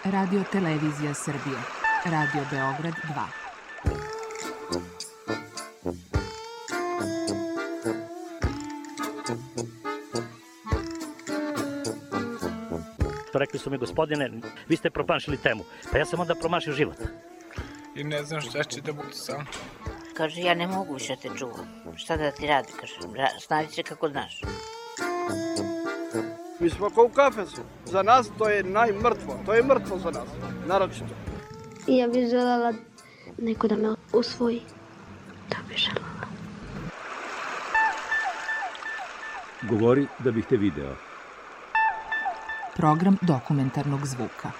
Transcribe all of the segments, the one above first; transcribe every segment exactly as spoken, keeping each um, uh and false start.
Radio Televizija Srbije. Radio Beograd dva. Rekli su mi, gospodine, vi ste promašili temu. Pa ja sam onda promašio život. I ne znam šta će da budu sam. Kaže, ja ne mogu više te čuvam. Šta da ti radi, kaže, snađi se kako znaš. Mi smo kao u kafesu. Za nas to je najmrtvo. To je mrtvo za nas, naročito. I ja bih željela neko da me usvoji. To bih željela. Govori da bih te video. Program dokumentarnog zvuka.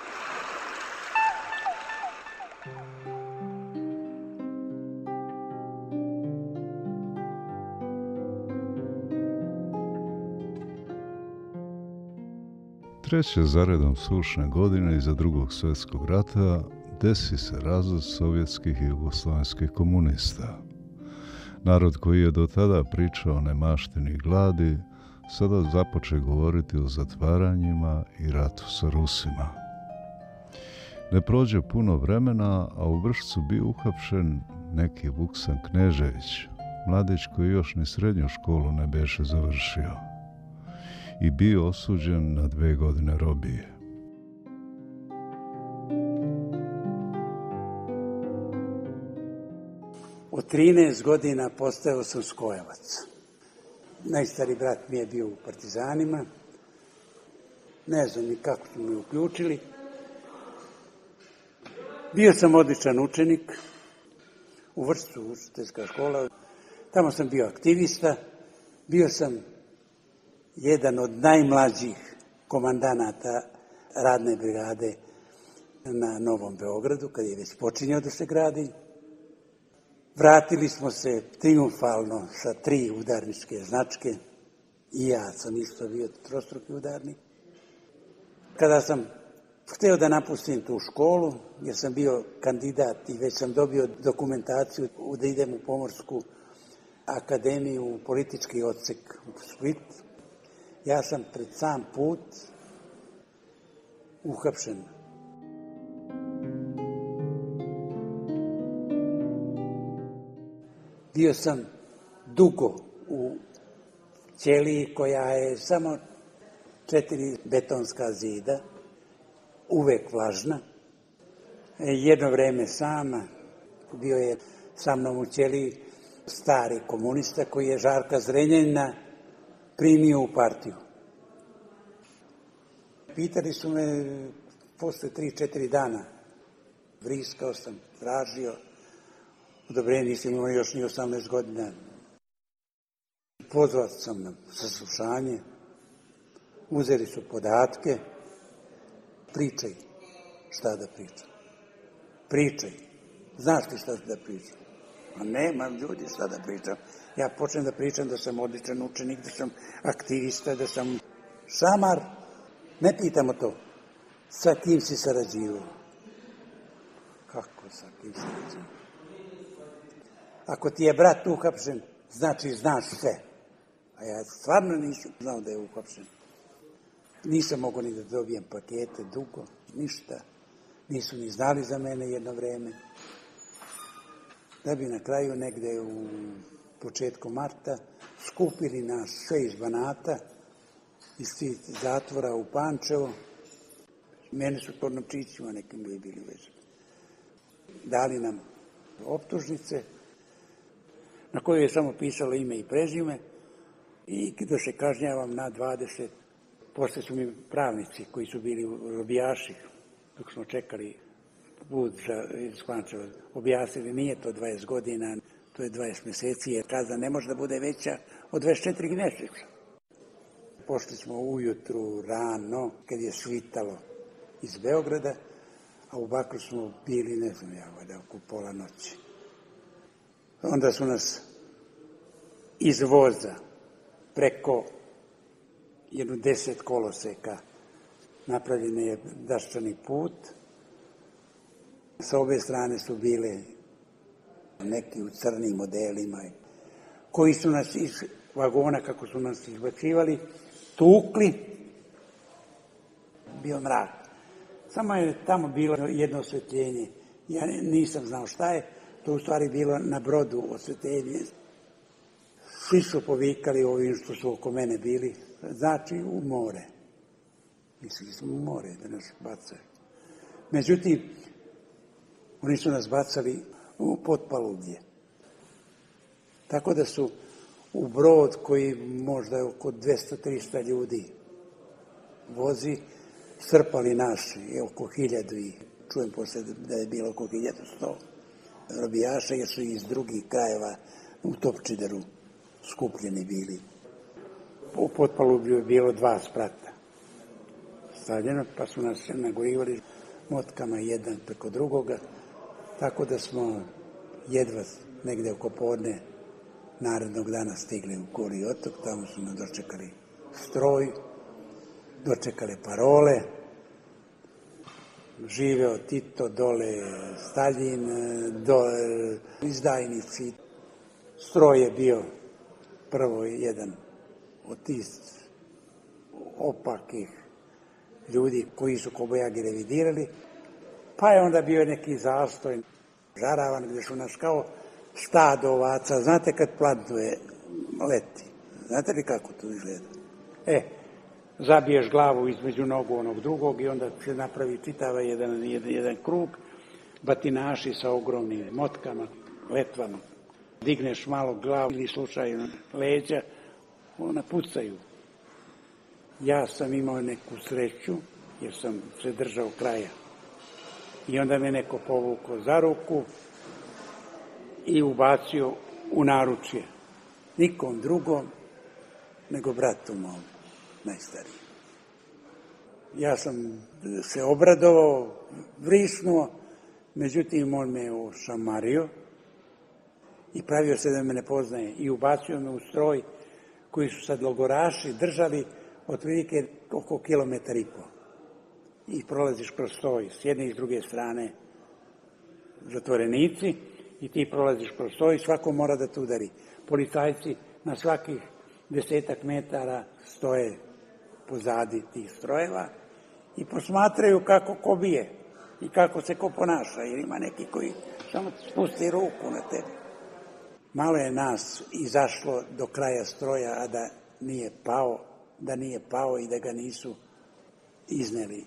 Treće zaredom sušne godine iza drugog svjetskog rata desi se razvod sovjetskih i jugoslovenskih komunista. Narod koji je do tada pričao o nemaštini i gladi, sada započe govoriti o zatvaranjima i ratu sa Rusima. Ne prođe puno vremena, a u Vršcu bio uhapšen neki Vuksan Knežević, mladić koji još ni srednju školu ne beše završio i bio osuđen na dve godine robije. Od trinaest godina postao sam skojevac. Najstari brat mi je bio u partizanima. Ne znam ni kako su me uključili. Bio sam odličan učenik. U Vršcu, učiteljska škola. Tamo sam bio aktivista. Bio sam jedan od najmlađih komandanata radne brigade na Novom Beogradu, kad je već počinjao da se gradi. Vratili smo se triumfalno sa tri udarničke značke. I ja sam isto bio trostruki udarnik. Kada sam hteo da napustim tu školu, jer sam bio kandidat i već sam dobio dokumentaciju da idem u Pomorsku akademiju u politički odsek u Split, ja sam pred sam put uhapšen. Bio sam dugo u ćeliji koja je samo četiri betonska zida, uvek vlažna. Jedno vreme sama, bio je sa mnom u ćeliji stari komunista koji je Žarka Zrenjanina primio u partiju. Pitali su me posle tri četiri dana, vriskao sam, tražio, odobrenje, nisam imao još ni osamnaest godina. Pozvat sam na saslušanje, uzeli su podatke, pričaj šta da pričam. Pričaj, znaš ti šta da pričam? A nema ljudi šta da pričam. Ja počnem da pričam da sam odličan učenik, da sam aktivista, da sam šamar. Ne pitamo to. Sa kim si sarađivao? Kako sa kim sarađivao? Ako ti je brat uhapšen, znači znaš sve. A ja stvarno nisam znao da je uhapšen. Nisam mogao ni da dobijem pakete dugo, ništa. Nisu ni znali za mene jedno vreme. Da bi na kraju negde u početku marta skupili nas sve iz Banata, iz tih zatvora u Pančevo. Mene su to novčićima nekim bili bili vezani. Dali nam optužnice na kojoj je samo pisalo ime i prezime i da se kažnjavam na dvadeset. Posle su mi pravnici koji su bili robijaši, dok smo čekali put za, iz Pančeva, objasnili nije to dvadeset godina, to je dvadeset meseci, jer kazna ne može da bude veća od dvadeset četiri meseca. Pošli smo ujutru, rano, kad je svitalo iz Beograda, a u Bakru smo bili, ne znam ja, valjda oko pola noći. Onda su nas iz voza preko jednu deset koloseka napravljen je daščani put. Sa obe strane su bile neki u crnim modelima koji su nas iz vagona, kako su nas izbacivali, tukli. Bio mrak. Samo je tamo bilo jedno osvetljenje. Ja nisam znao šta je. To u stvari bilo na brodu osvetljenje. Svi su povikali ovim što su oko mene bili. Znači u more. Mislili smo u more da nas bacaju. Međutim, oni su nas bacali u potpalubje. Tako da su u brod koji možda oko dvesta do trista ljudi vozi, strpali nas oko hiljadu i čujem posle da je bilo oko hiljadu sto robijaša, jer su iz drugih krajeva u Topčideru skupljeni bili. U potpalublju je bilo dva sprata stavljeno, pa su nas nagorivali motkama jedan preko drugoga, tako da smo jedva negde oko podne narednog dana stigli u Goli otok, tamo su nam dočekali stroj, dočekale parole, živeo Tito, dole Staljin, dole izdajnici. Stroj je bio prvo jedan od tih opakih ljudi koji su kobajagi revidirali, pa je onda bio neki zastoj, žaravan, gde su nas kao stado ovaca. Znate kad plantuje leti? Znate li kako to izgleda? E, zabiješ glavu između nogu onog drugog i onda se napravi čitava jedan, jedan, jedan krug, batinaši sa ogromnim motkama, letvama. Digneš malo glavu ili slučajno leđa, ona pucaju. Ja sam imao neku sreću, jer sam se držao kraja. I onda me neko povukao za ruku i ubacio u naručje. Nikom drugom, nego bratu mom, najstariji. Ja sam se obradovao, vrisnuo, međutim on me ošamario i pravio se da me ne poznaje i ubacio me u stroj koji su sad logoraši držali otprilike oko kilometar i po. I prolaziš kroz stroj s jedne i s druge strane zatvorenici i ti prolaziš kroz stroj i svako mora da te udari. Policajci na svakih desetak metara stoje pozadi tih strojeva i posmatraju kako ko bije i kako se ko ponaša, jer ima neki koji samo spusti ruku na tebe. Malo je nas izašlo do kraja stroja, a da nije pao, da nije pao i da ga nisu izneli.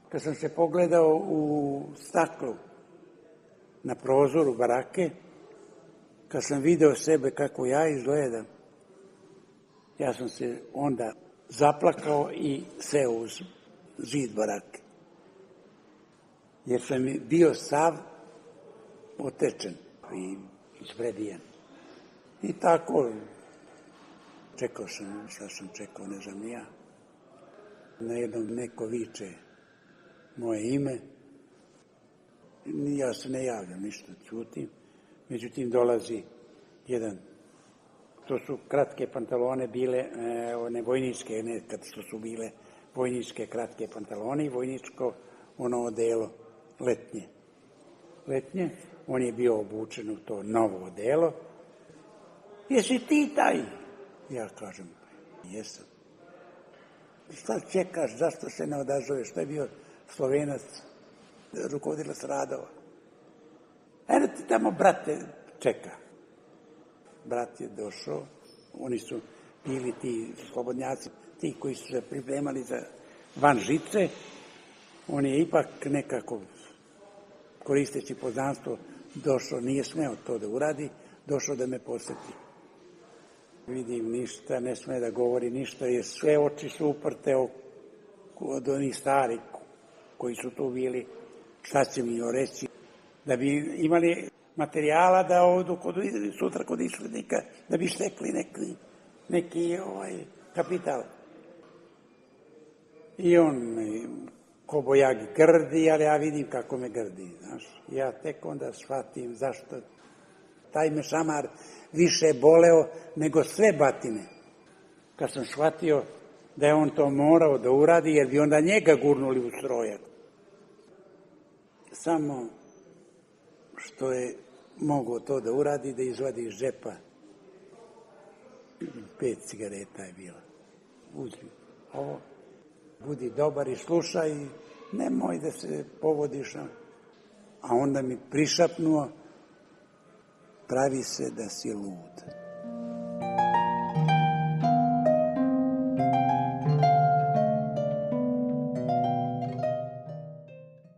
Kad sam se pogledao u staklu na prozoru barake, kad sam video sebe kako ja izgledam, ja sam se onda zaplakao i seo uz zid barake. Jer sam bio sav otečen i izvrebijen. I tako čekao sam, šta sam čekao, ne znam ni ja. Na jednom neko viče moje ime. Ja se ne javljam, ništa, ćutim. Međutim, dolazi jedan, to su kratke pantalone bile, one vojničke, nekad što su bile vojničke kratke pantalone i vojničko ono odelo letnje. Letnje, on je bio obučen u to novo odelo. Jesi ti taj? Ja kažem, jesam. Šta čekaš, zašto se ne odazoveš? To je bio Slovenac, rukovodilac radova. Eno ti tamo, brate, čeka. Brat je došao, oni su bili ti slobodnjaci, ti koji su se pripremali za van žice. On je ipak nekako, koristeći poznanstvo, došao, nije smeo to da uradi, došao da me poseti. Vidim ništa, ne sme da govori ništa, jer sve oči su uprte od onih starih koji su tu bili, šta će mi joj reći, da bi imali materijala da odu kod, sutra kod islednika, da bi stekli neki, neki ovaj, kapital. I on ko bojagi grdi, ali ja vidim kako me grdi, znaš. Ja tek onda shvatim zašto taj me šamar više boleo nego sve batine. Kad sam shvatio da je on to morao da uradi, jer bi onda njega gurnuli u strojak. Samo što je mogao to da uradi, da izvadi iz džepa Pet cigareta je bilo. Uzmi ovo, budi dobar i slušaj, nemoj da se povodiš. A onda mi prišapnuo, pravi se da si lud.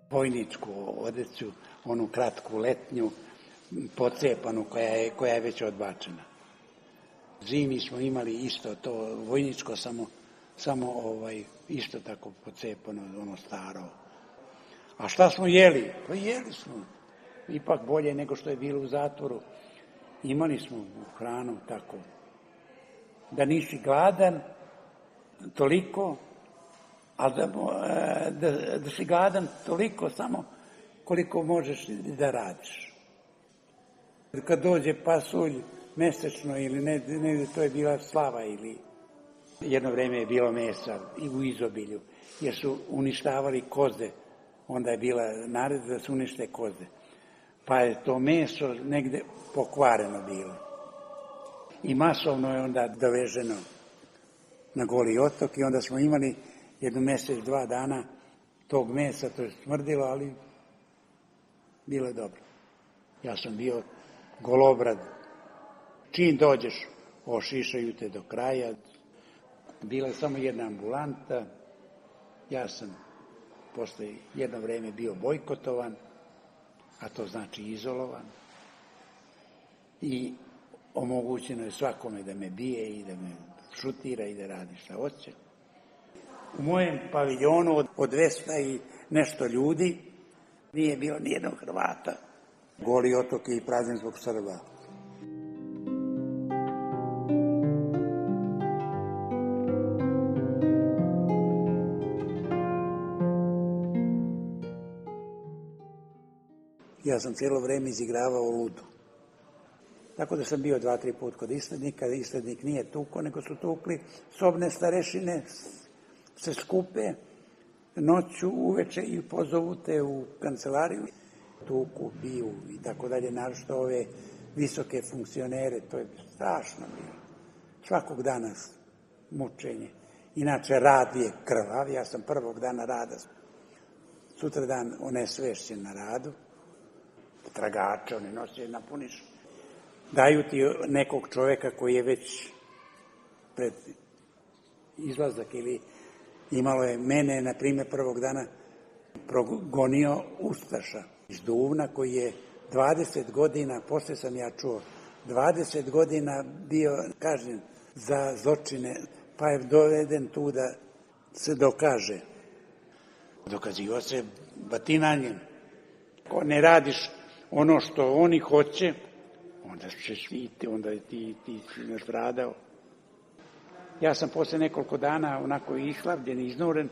Vojničku odeću, onu kratku letnju, pocepanu koja je, koja je već odbačena. Zimi smo imali isto to vojničko, samo, samo ovaj, isto tako pocepano, ono staro. A šta smo jeli? Pa jeli smo. Ipak bolje nego što je bilo u zatvoru. Imali smo hranu tako. Da nisi gladan toliko, ali da, da, da si gladan toliko samo koliko možeš da radiš. Kad dođe pasulj mesečno ili ne, ne, to je bila slava ili jedno vreme je bilo mesa i u izobilju, jer su uništavali koze, onda je bila naredba da se unište koze. Pa je to meso negde pokvareno bilo. I masovno je onda doveženo na Goli otok i onda smo imali jednu mesec, dva dana tog mesa, to je smrdilo, ali bilo je dobro. Ja sam bio golobrad. Čim dođeš, ošišaju te do kraja. Bila je samo jedna ambulanta. Ja sam posle jedno vreme bio bojkotovan, a to znači izolovan. I omogućeno je svakome da me bije i da me šutira i da radi šta hoće. U mojem paviljonu od dvesta i nešto ljudi nije bilo nijednog Hrvata. Goli otok je i prazan zbog Srba. Ja sam cijelo vreme izigravao ludu. Tako da sam bio dva, tri put kod islednika, islednik nije tuko, nego su tukli sobne starešine, se skupe noću, uveče i pozovu te u kancelariju. Tuku, biju i tako dalje, naročito ove visoke funkcionere, to je strašno bilo. Svakog dana mučenje. Inače, rad je krvav, ja sam prvog dana rada, sutra dan onesvešćen na radu, tragače, oni nose, napuniš. Daju ti nekog čoveka koji je već pred izlazak ili imalo je mene, na primjer, prvog dana progonio Ustaša iz Duvna koji je dvadeset godina, posle sam ja čuo, dvadeset godina bio kažnjen za zločine, pa je doveden tu da se dokaže. Dokazivo se batinanjem. Ako ne radiš ono što oni hoće, onda ćeš ti, onda ti, ti si nastradao. Ja sam posle nekoliko dana onako islavljen, iznuren,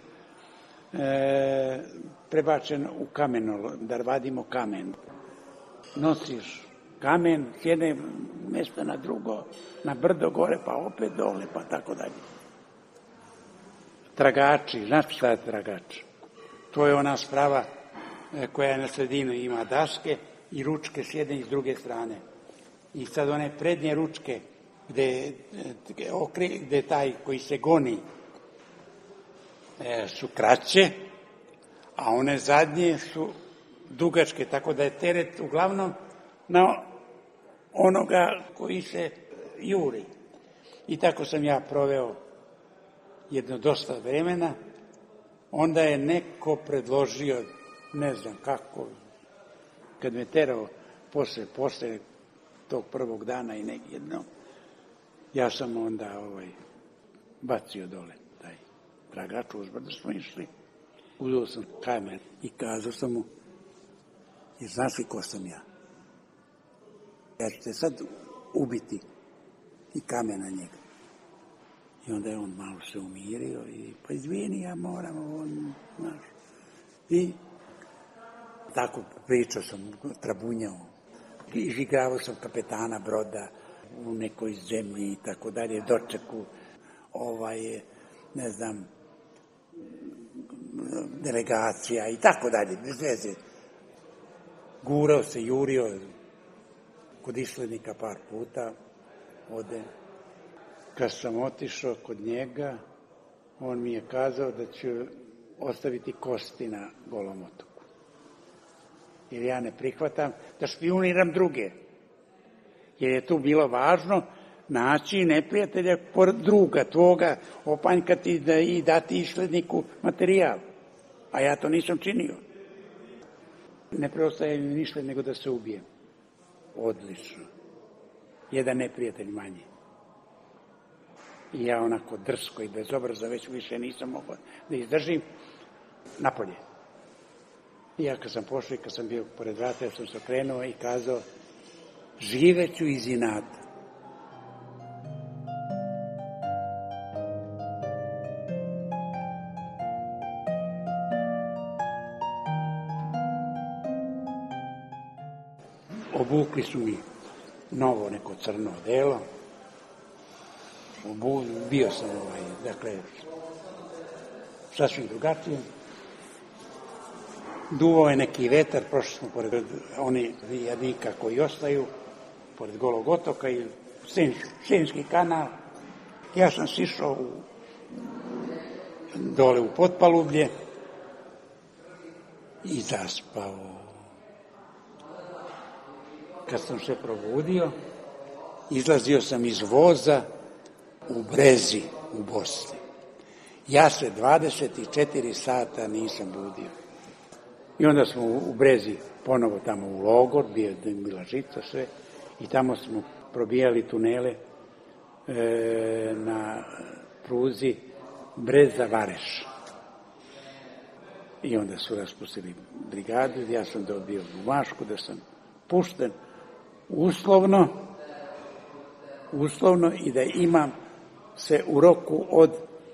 e, prebačen u kameno, da vadimo kamen. Nosiš kamen s jedne mjesta na drugo, na brdo gore, pa opet dole, pa tako dalje. Tragači, znaš šta je tragač? To je ona sprava koja je na sredinu, ima daske i ručke s jedne i s druge strane. I sad one prednje ručke, gde, gde taj koji se goni e, su kraće, a one zadnje su dugačke, tako da je teret uglavnom na onoga koji se juri. I tako sam ja proveo jedno dosta vremena. Onda je neko predložio, ne znam kako, kad me terao posle, posle tog prvog dana i nekjedno, ja sam onda ovaj, bacio dole taj tragač, uzbrdo smo išli. Uzeo sam kamen i kazao sam mu, i znaš li ko sam ja? Ja ću te sad ubiti i kamen na njega. I onda je on malo se umirio i pa izvini, ja moram, on, znaš. I tako pričao sam, trabunjao. Izigravao sam kapetana broda u nekoj zemlji i tako dalje, dočeku, ovaj, ne znam, delegacija i tako dalje, bez veze. Gurao se, jurio kod islednika par puta, ode. Kad sam otišao kod njega, on mi je kazao da ću ostaviti kosti na Golom otoku. Jer ja ne prihvatam da špijuniram druge. Jer je tu bilo važno naći neprijatelja pored druga tvoga, opanjkati da i dati išledniku materijal. A ja to nisam činio. Ne preostaje mi ništa nego da se ubijem. Odlično. Jedan neprijatelj manje. I ja onako drsko i bezobraza već više nisam mogao da izdržim napolje. I ja kad sam pošao i kad sam bio pored vrata, ja sam se okrenuo i kazao, živeću iz inata. Obukli su mi novo neko crno odelo. Obu, bio sam ovaj, dakle, sasvim drugačiji. Duvao je neki vetar, prošli smo pored oni jadika koji ostaju, pored Golog otoka i Senjski kanal. Ja sam sišao u, dole u potpalublje i zaspao. Kad sam se probudio, izlazio sam iz voza u Brezi, u Bosni. Ja se dvadeset četiri sata nisam budio. I onda smo u Brezi ponovo tamo u logor, bio je bila žica sve, i tamo smo probijali tunele e, na pruzi Breza-Vareš. I onda su raspustili brigadu, ja sam dobio bumašku da sam pušten uslovno, uslovno i da imam se u roku od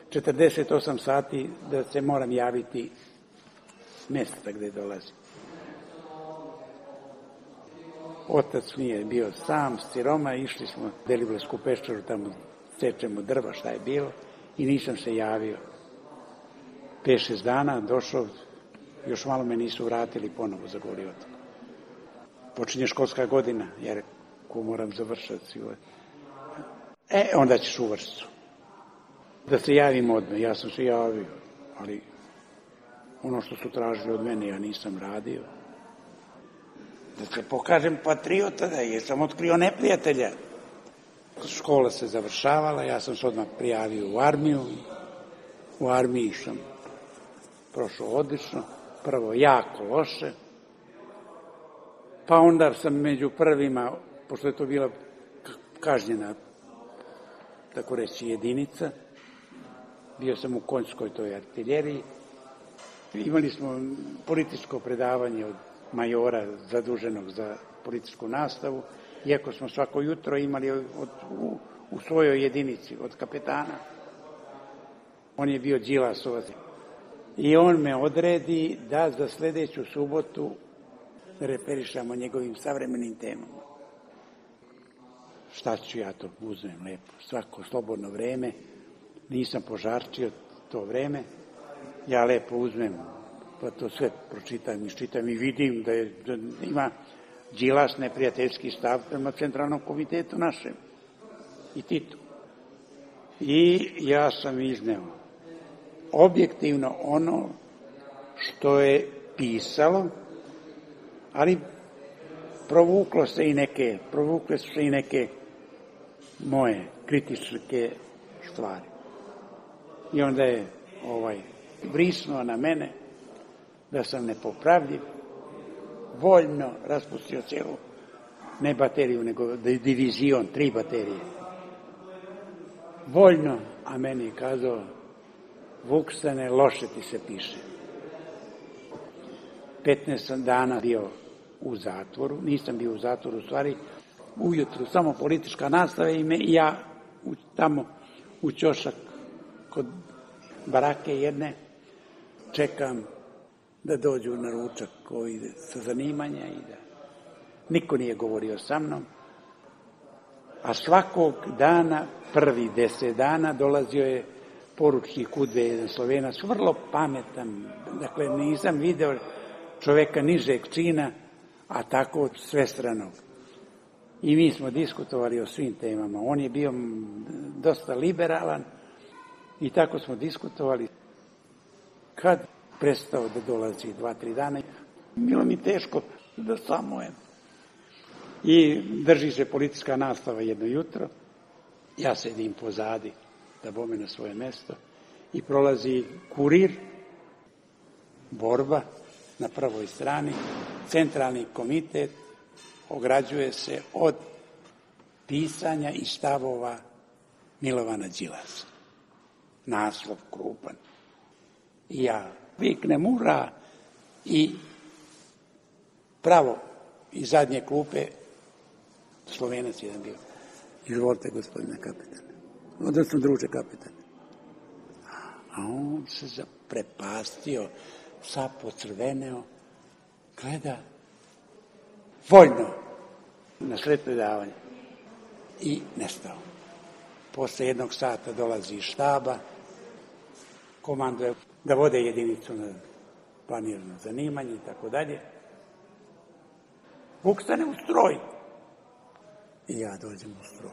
četrdeset osam sati da se moram javiti mjesta gde dolazim. Otac mi je bio sam s ciroma, išli smo u Deliblatsku peščaru, tamo sečemo drva, šta je bilo, i nisam se javio. Pet, šest dana došao, još malo me nisu vratili ponovo za Goli otok. Počinje školska godina, jer ko moram završati. E, onda ćeš u Vršcu. Da se javim odmah, ja sam se javio, ali ono što su tražili od mene ja nisam radio. Da se pokažem patriota, da je sam otkrio neprijatelja. Škola se završavala, ja sam se odmah prijavio u armiju. U armiji sam prošao odlično, prvo jako loše, pa onda sam među prvima, pošto je to bila kažnjena, tako reći, jedinica, bio sam u konjskoj toj artiljeriji, imali smo političko predavanje od majora zaduženog za policijsku nastavu, iako smo svako jutro imali od, u, u svojoj jedinici od kapetana. On je bio Đilasovac. I on me odredi da za sledeću subotu referišamo njegovim savremenim temama. Šta ću ja to uzmem lepo? Svako slobodno vreme, nisam požarčio to vreme, ja lepo uzmem, pa to sve pročitam, iščitam i vidim da, je, da ima Đilas neprijateljski stav prema Centralnom komitetu našem i Titu. I ja sam izneo objektivno ono što je pisalo, ali provuklo se i neke, provukle su se i neke moje kritičke stvari. I onda je ovaj brisnuo na mene da sam nepopravljiv, voljno raspustio cijelu, ne bateriju, nego divizion, tri baterije. Voljno, a meni je kazao, Vuksane, loše ti se piše. petnaest dana bio u zatvoru, nisam bio u zatvoru, u stvari, ujutru samo politička nastava i, me, i ja u, tamo u ćošak kod barake jedne čekam da dođu na ručak koji sa zanimanja i da niko nije govorio sa mnom, a svakog dana, prvi deset dana, dolazio je poručnik U D B, jedan Slovenac, vrlo pametan, dakle nisam video čoveka nižeg čina, a tako svestranog. i mi smo diskutovali o svim temama. On je bio dosta liberalan i tako smo diskutovali. Kad prestao da dolazi dva, tri dana, bilo mi teško da samujem. I drži se policijska nastava jedno jutro, ja sedim pozadi da bome na svoje mesto i prolazi kurir, borba na prvoj strani, centralni komitet ograđuje se od pisanja i stavova Milovana Đilasa. Naslov krupan. I ja viknem ura i pravo iz zadnje klupe Slovenac jedan bio. Izvolite, gospodine kapitane. Odnosno, druže kapitane. A on se zaprepastio, sad pocrveneo, gleda, voljno, na sred predavanja. I nestao. Posle jednog sata dolazi iz štaba, komanduje da vode jedinicu na planirano zanimanje i tako dalje. Vuk stane u stroj. I ja dođem u stroj.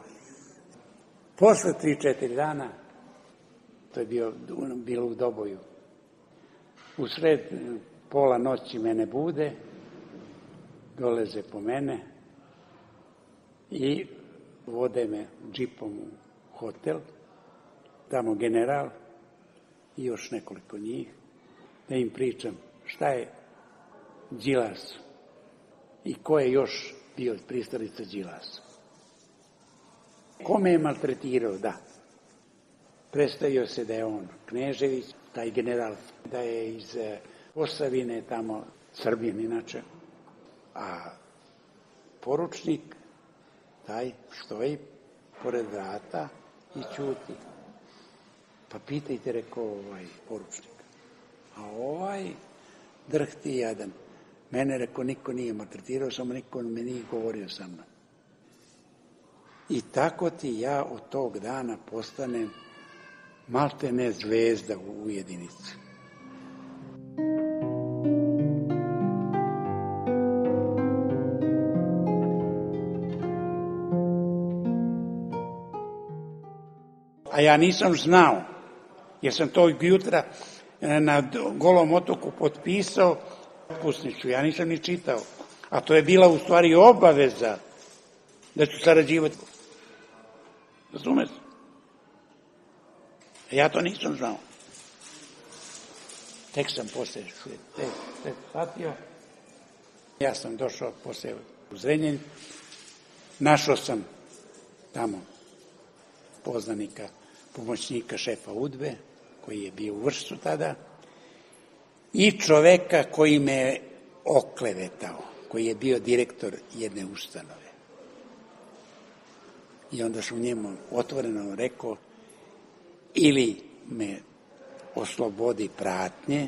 Posle tri, četiri dana, to je bio, bilo u Doboju, u sred pola noći mene bude, doleze po mene i vode me džipom u hotel, tamo general i još nekoliko njih, da im pričam šta je Đilas i ko je još bio pristalica Đilasa. Kome je maltretirao? Da. Predstavio se da je on Knežević, taj general, da je iz Posavine, tamo Srbin inače, a poručnik, taj stoji pored vrata i ćuti. Pa pitajte, rekao ovaj poručnik. A ovaj drhti jadan. Mene, rekao, niko nije maltretirao, samo niko me nije govorio sa mnom. I tako ti ja od tog dana postanem maltene zvezda u jedinici. A ja nisam znao, jer sam tog jutra na Golom otoku potpisao otpusnicu, ja nisam ni čitao. A to je bila u stvari obaveza da ću sarađivati. Razumeš? Ja to nisam znao. Tek sam posle tek, tek shvatio. Ja sam došao posle u Zrenjanin. Našao sam tamo poznanika, pomoćnika šefa UDBE, koji je bio u Vršcu tada, i čoveka koji me je oklevetao, koji je bio direktor jedne ustanove. I onda sam njemu otvoreno rekao, ili me oslobodi pratnje,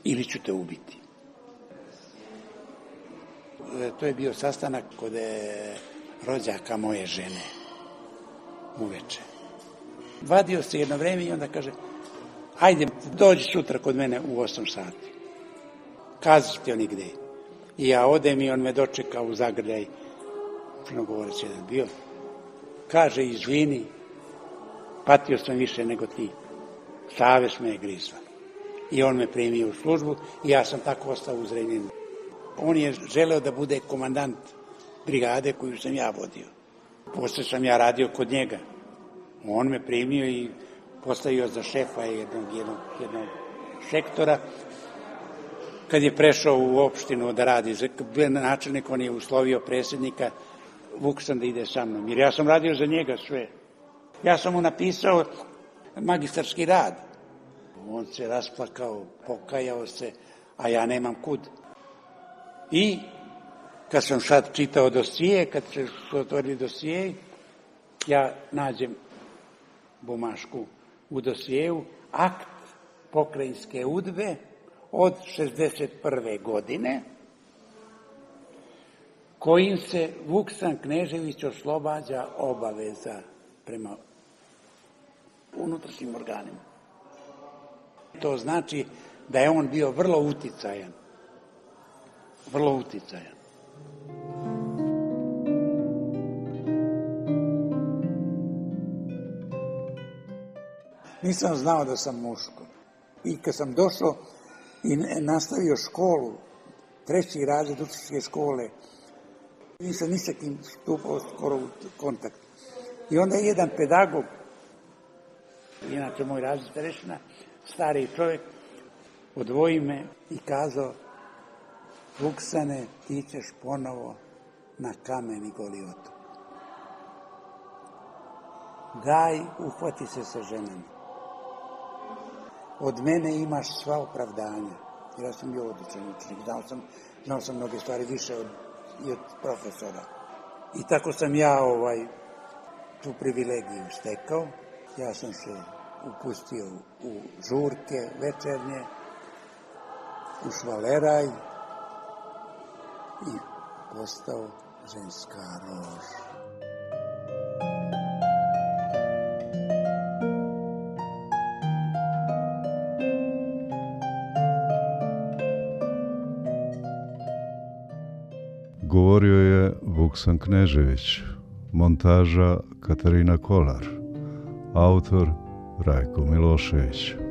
ili ću te ubiti. To je bio sastanak kod rođaka moje žene, uveče. Vadio se jedno vreme i onda kaže, ajde, dođi sutra kod mene u osam sati. Kazi ti oni gde. I ja odem i on me dočeka u zagrljaj, crnogovorac jedan bio. Kaže, izvini, patio sam više nego ti. Savest me je grizla. I on me primio u službu i ja sam tako ostao u Zrenjaninu. On je želeo da bude komandant brigade koju sam ja vodio. Posle sam ja radio kod njega. On me primio i postavio za šefa jednog, jednog, jednog sektora. Kad je prešao u opštinu da radi, bio načelnik, on je uslovio predsjednika, vuk sam da ide sa mnom, jer ja sam radio za njega sve. Ja sam mu napisao magistarski rad. On se rasplakao, pokajao se, a ja nemam kud. I kad sam sad čitao dosije, kad se su otvorili dosije, ja nađem bumašku u dosijeju, akt pokrajinske UDBE od šezdeset prve godine, kojim se Vuksan Knežević oslobađa obaveza prema unutrašnjim organima. To znači da je on bio vrlo uticajan. Vrlo uticajan. Nisam znao da sam muško. I kad sam došao i nastavio školu, treći razred učiteljske škole, nisam ni sa kim stupao skoro u kontakt. I onda je jedan pedagog, inače moj razred starešina, stariji čovjek, odvoji me i kazao: Vuksane, ti ćeš ponovo na kameni Goliotu. Daj, uhvati se sa ženama. Od mene imaš sva opravdanja. Ja sam bio odličan učenik, znao sam, znao sam mnoge stvari više od, i od profesora. I tako sam ja ovaj, tu privilegiju stekao. Ja sam se upustio u žurke večernje, u švaleraj i postao ženska rož. Govorio je Vuksan Knežević, montaža Katarina Kolar, autor Rajko Milošević.